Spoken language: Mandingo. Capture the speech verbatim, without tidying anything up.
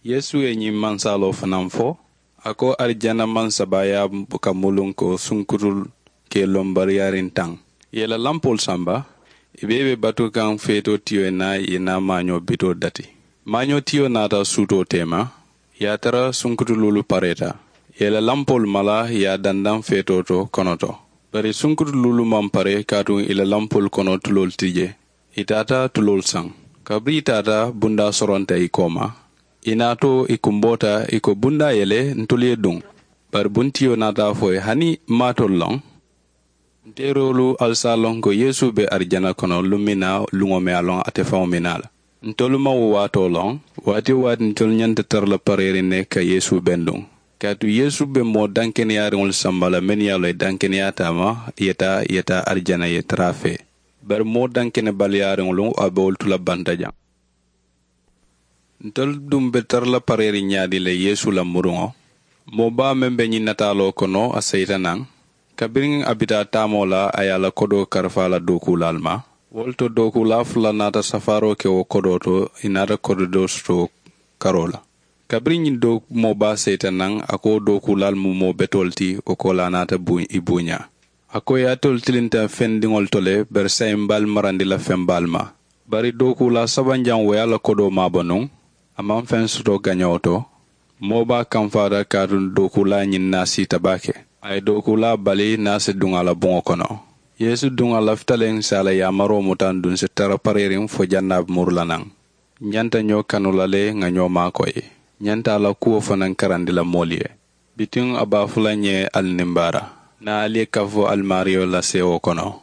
Yeesu ye ñiŋ mansaaloo fanaa fo, a ko arijana maŋ sabaayaa ka muluŋ ko sunkutulu ka i loŋ bari yaariŋ taŋ. Ì ye ì la lampoolu samba, ì bee be batukaŋ feetoo tiyo ye naa ì ye naa maañoo bitoo dati. Maañoo tiyo naata suutoo teema, ì ye a tara sunkutu luulu pareeta. Ì ye ì la lampoolu mala ì ye a dandaŋ feetoo to kono to. Bari sunkutu luulu maŋ pare kaatu ì la lampoolu kono tuloolu ti jee. Ì taata tuloolu saŋ. Kabiriŋ ì taata bundaa soronta ì kooma, ì naatoo ì kumboota ì ko bundaa ye le ntolu ye duŋ. Bari buntiyo naata a fo ì ye hani m̀ maŋ a tolu loŋ? Nteeroolu ali si a loŋ ko yeesu be arijana kono luŋ miŋ na luŋo meŋ ye a loŋ ate faŋo miŋ na a la. Ntolu maŋ wo waatoo loŋ. Waati-wo-waati ntolu ñanta tara la pareeriŋ ne ka yeesu benduŋ. Kaatu yeesu be moo dankeneyaariŋolu samba la mennu ye a loŋ ì dankeneyaata a ma, ì ye taa ì ye taa arijana ì ye tara a fee. Bari moo dankenebaliyaariŋolu a be wolu tu la banta jaŋ. Ntolu duŋ be tara la pareeriŋ ñaadii le yeesu la muruŋo. Moo baa meŋ be ñiŋ nataaloo kono a seyita naŋ. Kabiriŋ a bi taa taamoo la a ye a la kodoo karafa a la dookuulaalu ma. Wo le to dookuulaa fula naata safaaroo ke wo kodoo to, ì naata kodoo doo soto karoo la. Kabiriŋ ñiŋ doo moo baa seyita naŋ, a ko dookuulaalu mu moo betoolu ti, wo koolaa naata ì buuñaa. A ko ì ye alitolu tilinta fendiŋolu to le bari saayiŋ m̀ be ali marandi la feŋ baalu ma. Bari dookuulaa sabanjaŋo wo ye a la kodoo maabo nuŋ. A maŋ feŋ soto gañoo to. Moo baa kamfaata kaatu dookuulaa ñiŋ naasiita baake. A ye dookuulaa bali naasi duŋ a la buŋo kono. Yeesu duŋ a lafita le ǹ si a la yaamaroo muta ǹ duŋ si tara pareeriŋ fo jaŋ naa be muru la naŋ. Ñanta ñoo kanu la le ŋà ñoo maakoyi. Ñanta a la kuwo fanaŋ karandi la moolu ye. Bituŋ a be a fo la ǹ ye ali nimbaara, niŋ ali ye kaffu alimaariyo la seewoo kono.